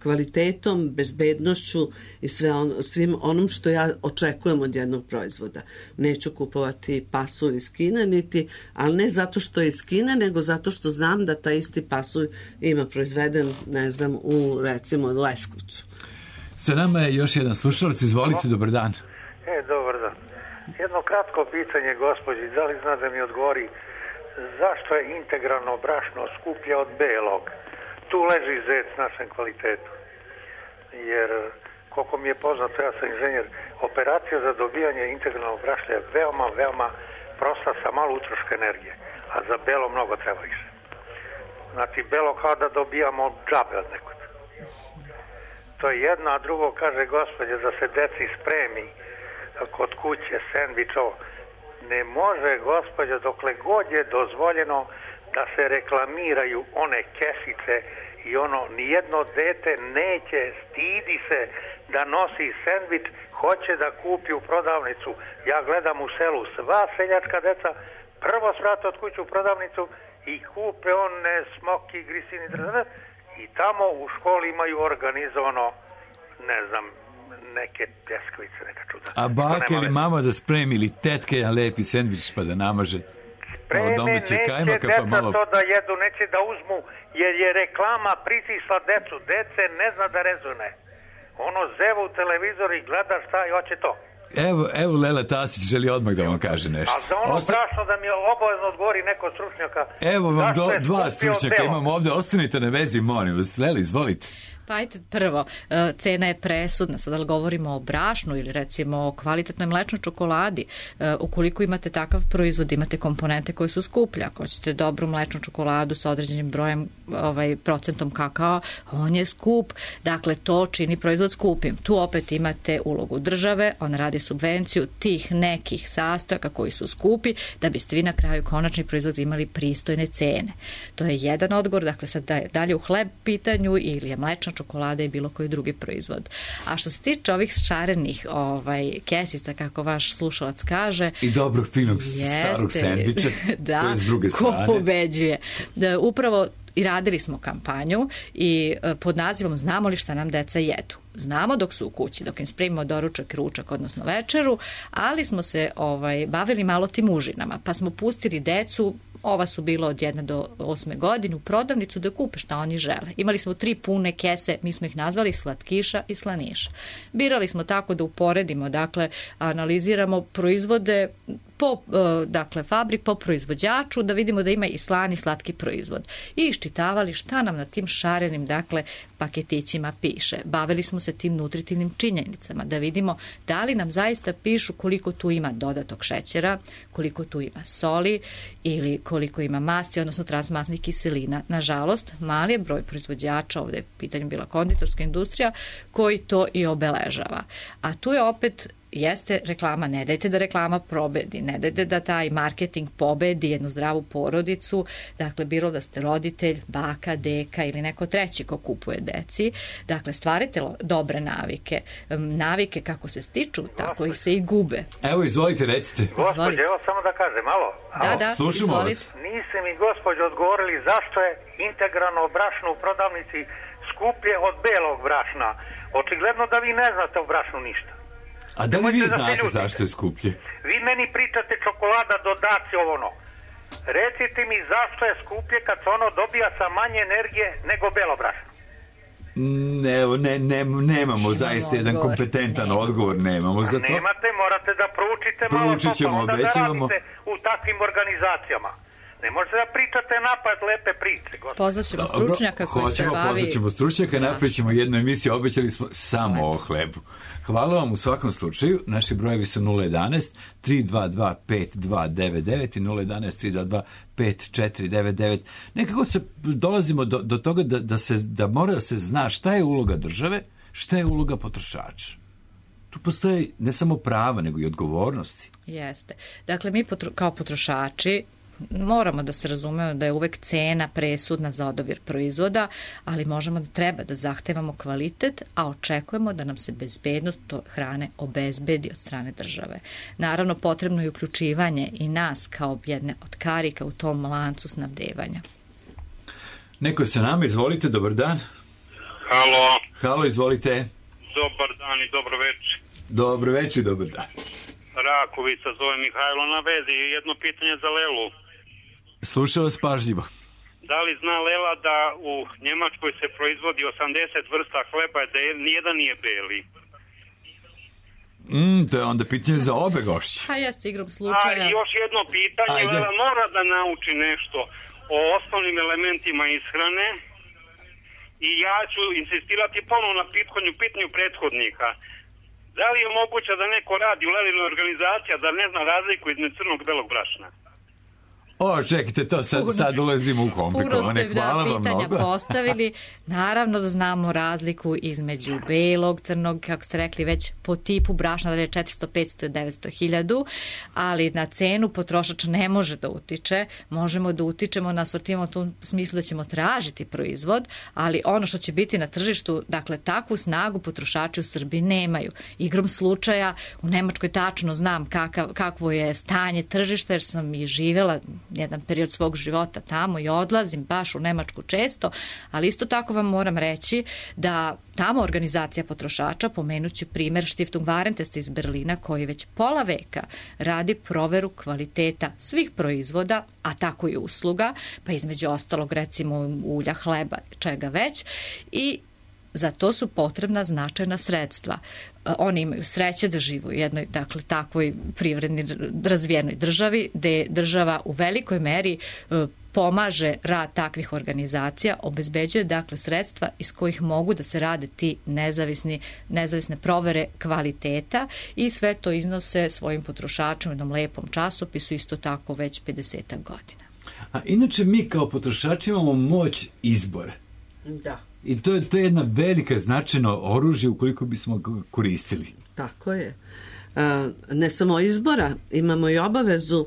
kvalitetom, bezbednošću i sve on, svim onom što ja očekujem od jednog proizvoda. Neću kupovati pasulj iz Kine, niti, ali ne zato što je iz Kine, nego zato što znam da taj isti pasulj ima proizveden, ne znam, u recimo Leskovcu. Sa nama je još jedan slušalac, izvolite, dobar dan. E, dobar dan. Jedno kratko pitanje, gospođi, da li zna da mi odgovori zašto je integralno brašno skuplje od belog? Tu leži zec našem kvalitetu. Jer, koliko mi je poznato, ja sam inženjer, operacija za dobijanje integralnog brašna je veoma, veoma prosta sa malo utroška energije, a za belo mnogo treba više. Znači, belo kao da dobijamo džabe od nekog. To je jedno, a drugo kaže gospođe da se deci spremi kod kuće sendvič ovo. Ne može, gospođo, dokle god je dozvoljeno da se reklamiraju one kesice i ono, nijedno dete neće, stidi se da nosi sendvič, hoće da kupi u prodavnicu. Ja gledam u selu, sva seljačka deca prvo svrate od kuće u prodavnicu i kupe one smoki, grisini, drž, i tamo u školi imaju organizovano, ne znam, neke pljeskavice, neka čuda. A baka ili mama da spremi ili tetka jedan lepi sendvič pa da namaže? Spreme, neće kajmaka, deca pa malo... to da jedu, neće da uzmu, jer je reklama pritisla decu. Dece ne zna da rezune. Ono zeva u televizor i gleda šta i hoće to. Evo, evo Lela Tasić želi odmah da vam kaže nešto. A za ono Osta... brašno da mi obavezno odgovori neko stručnjaka. Evo vam do, dva stručnjaka imamo ovde, ostanite na vezi, molim vas. Leli, izvolite. Pa ajte, prvo, cena je presudna. Sada li govorimo o brašnu ili recimo o kvalitetnoj mlečnoj čokoladi, ukoliko imate takav proizvod, imate komponente koje su skuplje. Ako ćete dobru mlečnu čokoladu sa određenim brojem, ovaj, procentom kakao, on je skup. Dakle, to čini proizvod skupim. Tu opet imate ulogu države, ona radi subvenciju tih nekih sastojaka koji su skupi, da biste vi na kraju konačni proizvod imali pristojne cene. To je jedan odgovor. Dakle, sad dalje u hleb pitanju ili je mlečna čokolada i bilo koji drugi proizvod. A što se tiče ovih šarenih ovaj, kesica, kako vaš slušalac kaže... I dobrog, finog, starog sendviča, da, to je s druge strane. Ko pobeđuje. Da, upravo i radili smo kampanju i pod nazivom Znamo li šta nam deca jedu. Znamo dok su u kući, dok im spremimo doručak, ručak, odnosno večeru, ali smo se ovaj, bavili malo tim užinama, pa smo pustili decu, ova su bila od jedne do osme godine, u prodavnicu da kupe šta oni žele. Imali smo tri pune kese, mi smo ih nazvali slatkiša i slaniša. Birali smo tako da uporedimo, dakle, analiziramo proizvode po, dakle, fabrik, po proizvođaču, da vidimo da ima i slan i slatki proizvod. I iščitavali šta nam na tim šarenim, dakle, paketićima piše. Bavili smo se tim nutritivnim činjenicama, da vidimo da li nam zaista pišu koliko tu ima dodatog šećera, koliko tu ima soli ili koliko ima masti, odnosno transmasnih kiselina. Nažalost, mali je broj proizvođača, ovdje je pitanju bila konditorska industrija, koji to i obeležava. A tu je opet jeste reklama, ne dajte da reklama probedi, ne dajte da taj marketing pobedi jednu zdravu porodicu, dakle, bilo da ste roditelj, baka, deka ili neko treći ko kupuje deci, dakle, stvarite dobre navike, navike kako se stiču, tako i se i gube. Evo, izvolite, recite. Gospođe, evo samo da kažem, malo. Da, da, slušamo vas. Niste mi, gospođo, odgovorili zašto je integralno brašno u prodavnici skuplje od belog brašna. Očigledno da vi ne znate o brašnu ništa. A da li vi znate zašto je skuplje? Vi meni pričate čokolada, dodaci, ono. Recite mi zašto je skuplje kad se ono dobija sa manje energije nego belo brašno? Ne, ne, ne, nemamo zaista jedan kompetentan odgovor, nemamo za to. Nemate, morate da proučite malo, Proučit ćemo, onda da obećavamo. radite u takvim organizacijama. Ne možete da pričate napad lepe priče. Pozvat ćemo stručnjaka koji se bavi... Pozvat ćemo stručnjaka, napravit ćemo jednu emisiju, obećali smo samo o hlebu. Hvala vam u svakom slučaju. Naši brojevi su nula jedanaest tri dva dva pet dva devet devet i nula jedanaest tri dva dva pet četiri devet devet. Nekako se dolazimo do, do toga da, da, se, da mora da se zna šta je uloga države, šta je uloga potrošača. Tu postoje ne samo prava, nego i odgovornosti. Jeste. Dakle, mi potro, kao potrošači moramo da se razumemo da je uvek cena presudna za odabir proizvoda, ali možemo da treba da zahtevamo kvalitet, a očekujemo da nam se bezbednost hrane obezbedi od strane države. Naravno, potrebno je uključivanje i nas kao jedne od karika u tom lancu snabdevanja. Neko je sa nama, izvolite, dobar dan. Halo. Halo, izvolite. Dobar dan i dobro večer. Dobro večer, dobar dan. Rakovica, zove Mihajlo na vezi. Jedno pitanje za Lelu. Slušao vas pažljivo. Da li zna Lela da u Njemačkoj se proizvodi osamdeset vrsta hleba, da je, nijedan nije beli? Mm, to je onda pitanje za obe gošće. Pa jeste igrom slučaja. A još jedno pitanje, Ajde. Lela mora da nauči nešto o osnovnim elementima ishrane i ja ću insistirati ponovno na pitkanju, pitanju prethodnika. Da li je moguće da neko radi u Lelinoj organizaciji da ne zna razliku između crnog i belog brašna? O, čekajte, to sad, sad ulazimo u komplikovane. Hvala vam pitanja mnogo. postavili. Naravno da znamo razliku između belog, crnog, kako ste rekli, već po tipu brašna, da je četiristo, petsto, devetsto, hiljadu, ali na cenu potrošač ne može da utiče. Možemo da utičemo na sortimu u tom smislu da ćemo tražiti proizvod, ali ono što će biti na tržištu, dakle, takvu snagu potrošači u Srbiji nemaju. Igrom slučaja u Nemačkoj tačno znam kakav, kakvo je stanje tržišta, jer sam i živjela jedan period svog života tamo i odlazim baš u Nemačku često, ali isto tako vam moram reći da tamo organizacija potrošača, pomenuću primer Stiftung Warentest iz Berlina, koji već pola veka radi proveru kvaliteta svih proizvoda, a tako i usluga, pa između ostalog recimo ulja, hleba, čega već, i za to su potrebna značajna sredstva. Oni imaju sreće da žive u jednoj, dakle, takvoj privredni razvijenoj državi, gde država u velikoj meri pomaže rad takvih organizacija, obezbeđuje, dakle, sredstva iz kojih mogu da se rade ti nezavisni, nezavisne provere kvaliteta i sve to iznose svojim potrošačima u jednom lepom časopisu, isto tako već pedeset godina. A inače mi kao potrošači imamo moć izbora. Da. I to je, to je jedna velika značajno oružje ukoliko bismo ga koristili. Tako je. E, ne samo izbora, imamo i obavezu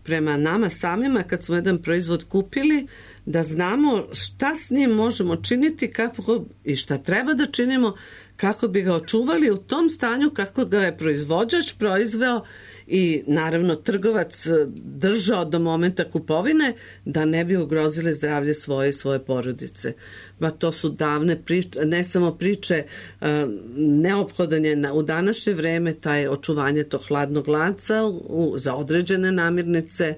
prema nama samima kad smo jedan proizvod kupili, da znamo šta s njim možemo činiti kako, i šta treba da činimo kako bi ga očuvali u tom stanju kako ga je proizvođač proizveo i naravno trgovac držao do momenta kupovine, da ne bi ugrozili zdravlje svoje i svoje porodice. Ba to su davne priče, ne samo priče, neophodan je na, u današnje vreme taj očuvanje tog hladnog lanca u, za određene namirnice,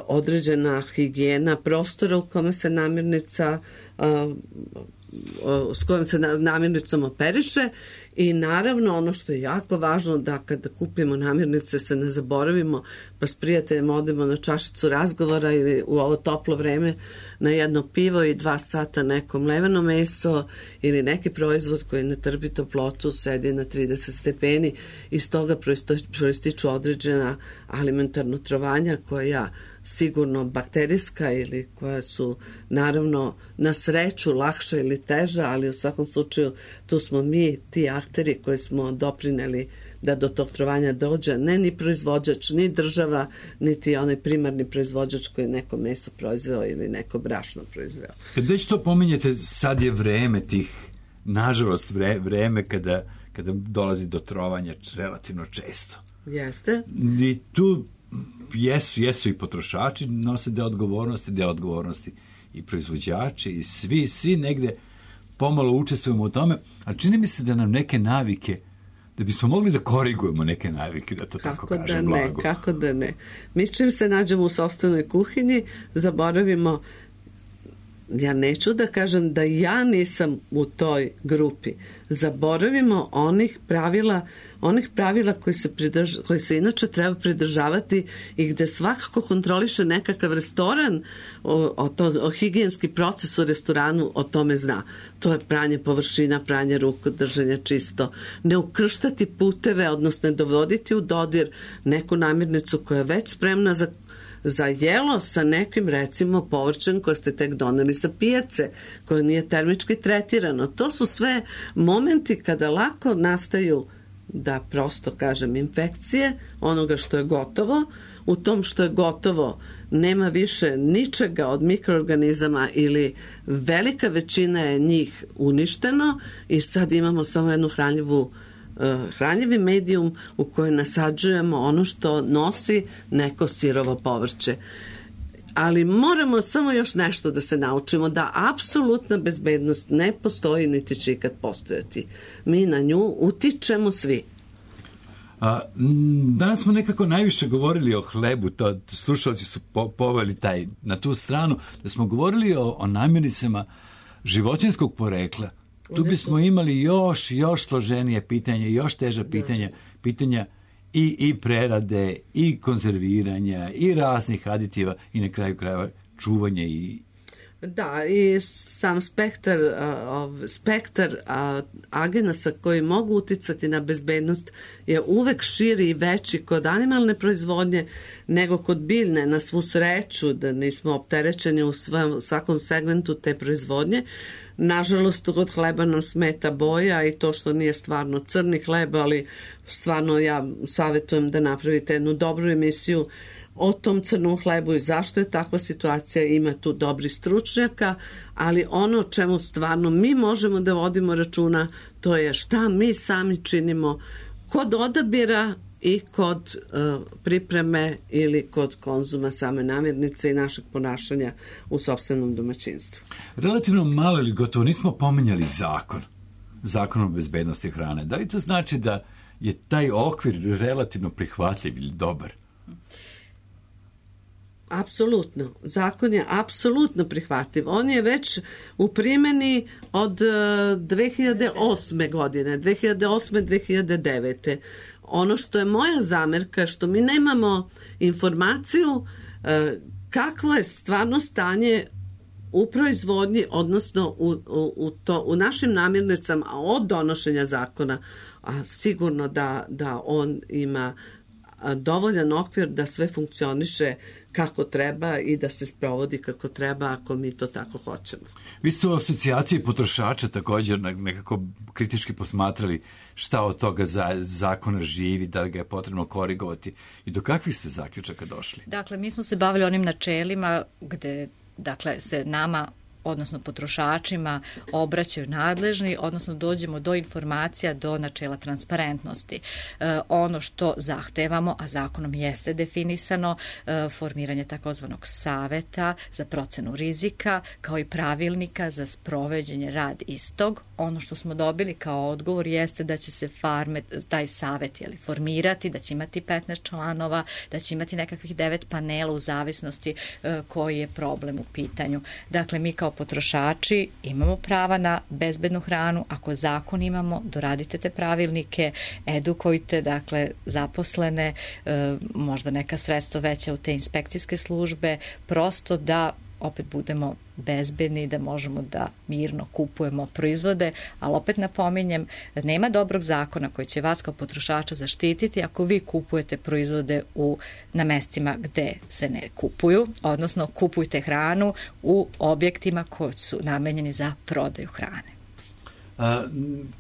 određena higijena prostora u kome se namirnica s kojom se namirnicom operiše i naravno ono što je jako važno da kada kupimo namirnice se ne zaboravimo pa s prijateljem odemo na čašicu razgovora ili u ovo toplo vreme na jedno pivo i dva sata neko mleveno meso ili neki proizvod koji ne trpi toplotu sedi na trideset stepeni i s toga proističu određena alimentarno trovanja koja sigurno bakterijska ili koja su naravno na sreću lakša ili teža, ali u svakom slučaju tu smo mi ti akteri koji smo doprineli da do tog trovanja dođe, ne ni proizvođač, ni država, niti onaj primarni proizvođač koji neko meso proizveo ili neko brašno proizveo. Kad već to pominjete, sad je vreme tih, nažalost vre, vreme kada, kada dolazi do trovanja relativno često. Jeste. I tu jesu, jesu i potrošači, nose deo odgovornosti, deo odgovornosti i proizvođači i svi, svi negde pomalo učestvujemo u tome, a čini mi se da nam neke navike, da bismo mogli da korigujemo neke navike, da to kako tako kažem da blago. Ne, kako da ne. Mi čim se nađemo u sopstvenoj kuhinji, zaboravimo, ja neću da kažem da ja nisam u toj grupi, zaboravimo onih pravila onih pravila koji se, pridrž, koji se inače treba pridržavati i gde svakako kontroliše nekakav restoran o, o, to, o higijenski proces u restoranu o tome zna. To je pranje površina, pranje ruku, držanje čisto. Ne ukrštati puteve, odnosno ne dovoditi u dodir neku namirnicu koja je već spremna za za jelo sa nekim recimo povrćem koje ste tek doneli sa pijace, koje nije termički tretirano. To su sve momenti kada lako nastaju, da prosto kažem, infekcije onoga što je gotovo. U tom što je gotovo nema više ničega od mikroorganizama ili velika većina je njih uništeno i sad imamo samo jednu hranljivu hranljivi medijum u kojoj nasađujemo ono što nosi neko sirovo povrće. ali moramo samo još nešto da se naučimo, da apsolutna bezbednost ne postoji niti će ikad postojati. Mi na nju utičemo svi. A, danas smo nekako najviše govorili o hlebu, to slušalci su po, poveli taj, na tu stranu, da smo govorili o, o namirnicama životinjskog porekla. Tu bismo imali još, još složenije pitanje, još teža pitanja, pitanja i, i prerade, i konzerviranja, i raznih aditiva, i na kraju krajeva čuvanje i... Da, i sam spektar, uh, spektar uh, agenasa koji mogu uticati na bezbednost je uvek širi i veći kod animalne proizvodnje nego kod biljne. Na svu sreću da nismo opterećeni u svom, svakom segmentu te proizvodnje. Nažalost, kod hleba nam smeta boja i to što nije stvarno crni hleb, ali stvarno ja savjetujem da napravite jednu dobru emisiju o tom crnom hlebu i zašto je takva situacija. Ima tu dobri stručnjaka, ali ono o čemu stvarno mi možemo da vodimo računa, to je šta mi sami činimo kod odabira i kod uh, pripreme ili kod konzuma same namirnice i našeg ponašanja u sopstvenom domaćinstvu. Relativno malo ili gotovo nismo pominjali zakon, zakon o bezbednosti hrane. Da li to znači da je taj okvir relativno prihvatljiv ili dobar? Apsolutno. Zakon je apsolutno prihvatljiv. On je već u primjeni od dve hiljade osme godine, dve hiljade osme do dve hiljade devete. Ono što je moja zamerka, što mi nemamo informaciju kakvo je stvarno stanje u proizvodnji, odnosno u, u, u, to, u našim namirnicama od donošenja zakona, a sigurno da, da on ima dovoljan okvir da sve funkcioniše kako treba i da se sprovodi kako treba ako mi to tako hoćemo. Vi ste u asocijaciji potrošača također nekako kritički posmatrali šta od toga za zakona živi, da ga je potrebno korigovati i do kakvih ste zaključaka došli? Dakle, mi smo se bavili onim načelima gde dakle, se nama odnosno potrošačima obraćaju nadležni, odnosno dođemo do informacija, do načela transparentnosti. E, ono što zahtevamo, a zakonom jeste definisano, e, formiranje takozvanog saveta za procenu rizika, kao i pravilnika za sprovođenje rad istog. Ono što smo dobili kao odgovor jeste da će se farme, taj savet jeli, formirati, da će imati petnaest članova, da će imati nekakvih devet panela u zavisnosti e, koji je problem u pitanju. Dakle, mi kao potrošači imamo prava na bezbednu hranu, ako zakon imamo, doradite te pravilnike, edukujte, dakle, zaposlene, e, možda neka sredstva veća u te inspekcijske službe, prosto da opet budemo bezbedni, da možemo da mirno kupujemo proizvode, ali opet napominjem, nema dobrog zakona koji će vas kao potrošača zaštititi ako vi kupujete proizvode u, na mestima gde se ne kupuju, odnosno kupujte hranu u objektima koji su namenjeni za prodaju hrane. A,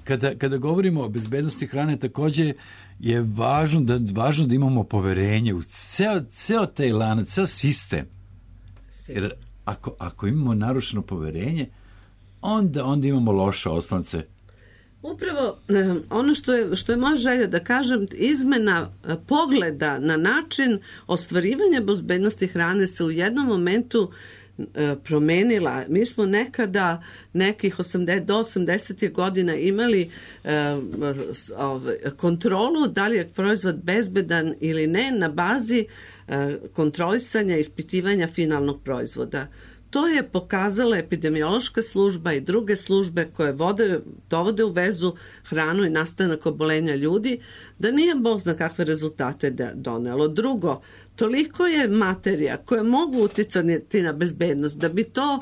kada, kada govorimo o bezbednosti hrane, također je važno da, važno da imamo poverenje u ceo, ceo taj lanac, ceo sistem. Jer Ako, ako imamo narušeno poverenje, onda, onda imamo loše oslance. Upravo ono što je, što je moja želja da kažem, izmena pogleda na način ostvarivanja bezbednosti hrane se u jednom momentu promenila. Mi smo nekada nekih osamdeset do osamdesetih godina imali kontrolu da li je proizvod bezbedan ili ne na bazi kontrolisanja i ispitivanja finalnog proizvoda. To je pokazala epidemiološka služba i druge službe koje vode, dovode u vezu hranu i nastanak obolenja ljudi, da nije Bog zna kakve rezultate donelo. Drugo, toliko je materija koje mogu uticati na bezbednost da bi to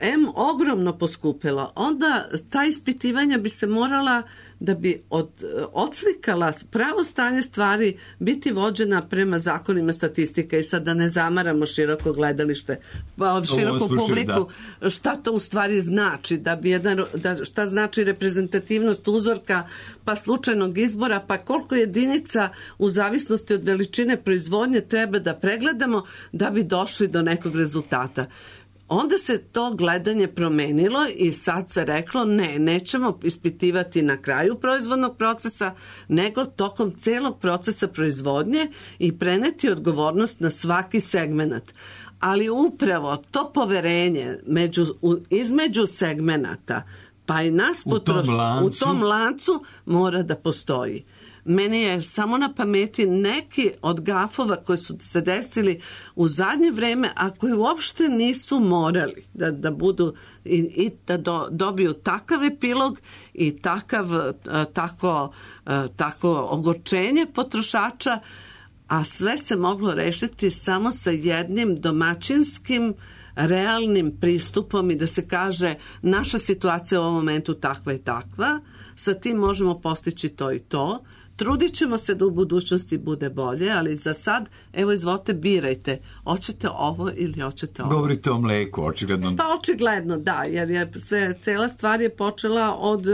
em ogromno poskupilo. Onda ta ispitivanja bi se morala da bi od, odslikala pravo stanje stvari biti vođena prema zakonima statistike i sad da ne zamaramo široko gledalište, široko publiku, da. Šta to u stvari znači, da bi jedan, da, šta znači reprezentativnost uzorka, pa slučajnog izbora, pa koliko jedinica u zavisnosti od veličine proizvodnje treba da pregledamo da bi došli do nekog rezultata. Onda se to gledanje promenilo i sad se reklo ne, nećemo ispitivati na kraju proizvodnog procesa, nego tokom celog procesa proizvodnje i preneti odgovornost na svaki segment. Ali upravo to poverenje među, u, između segmenata, pa i nas potroš, u tom lancu mora da postoji. Meni je samo na pameti neki od gafova koji su se desili u zadnje vreme, a koji uopšte nisu morali da, da budu i, i da do, dobiju takav epilog i takav, tako, tako ogorčenje potrošača, a sve se moglo rešiti samo sa jednim domaćinskim realnim pristupom i da se kaže naša situacija u ovom momentu takva i takva, sa tim možemo postići to i to. Trudit ćemo se da u budućnosti bude bolje, ali za sad, evo izvolite, birajte. Hoćete ovo ili hoćete ovo? Govorite o mleku, očigledno. Pa očigledno, da, jer je sve, cela stvar je počela od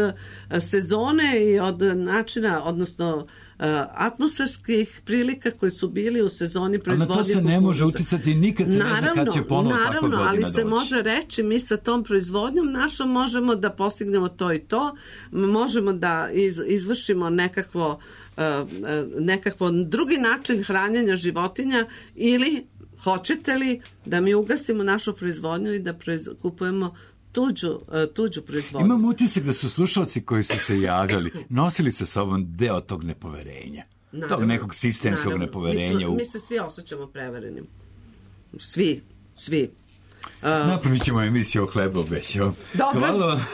sezone i od načina, odnosno atmosferskih prilika koji su bili u sezoni proizvodnje kukuruza. Ali na to se ne može uticati, nikad se naravno, ne zna kad će ponovo takva godina doći. Naravno, ali se može reći, mi sa tom proizvodnjom našom možemo da postignemo to i to, možemo da iz, izvršimo nekakvo, nekakvo drugi način hranjenja životinja ili hoćete li da mi ugasimo našu proizvodnju i da proiz, kupujemo tuđu, tuđu proizvodnju. Imam utisak da su slušalci koji su se javljali nosili sa sobom deo tog nepoverenja. Naravno, tog nekog sistemskog naravno. nepoverenja. Mi, smo, mi se svi osjećamo preverenim. Svi, svi. Uh, Napravit ćemo emisiju o hlebu, obećavam. Hvala vam,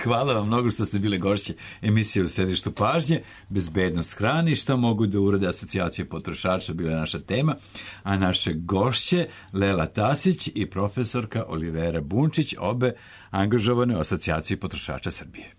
hvala vam mnogo što ste bile gošće emisije u središtu pažnje. Bezbednost hrane i šta mogu da urade asocijacije potrošača bila je naša tema, a naše gošće Lela Tasić i profesorka Olivera Bunčić, obe angažovane u asocijaciji potrošača Srbije.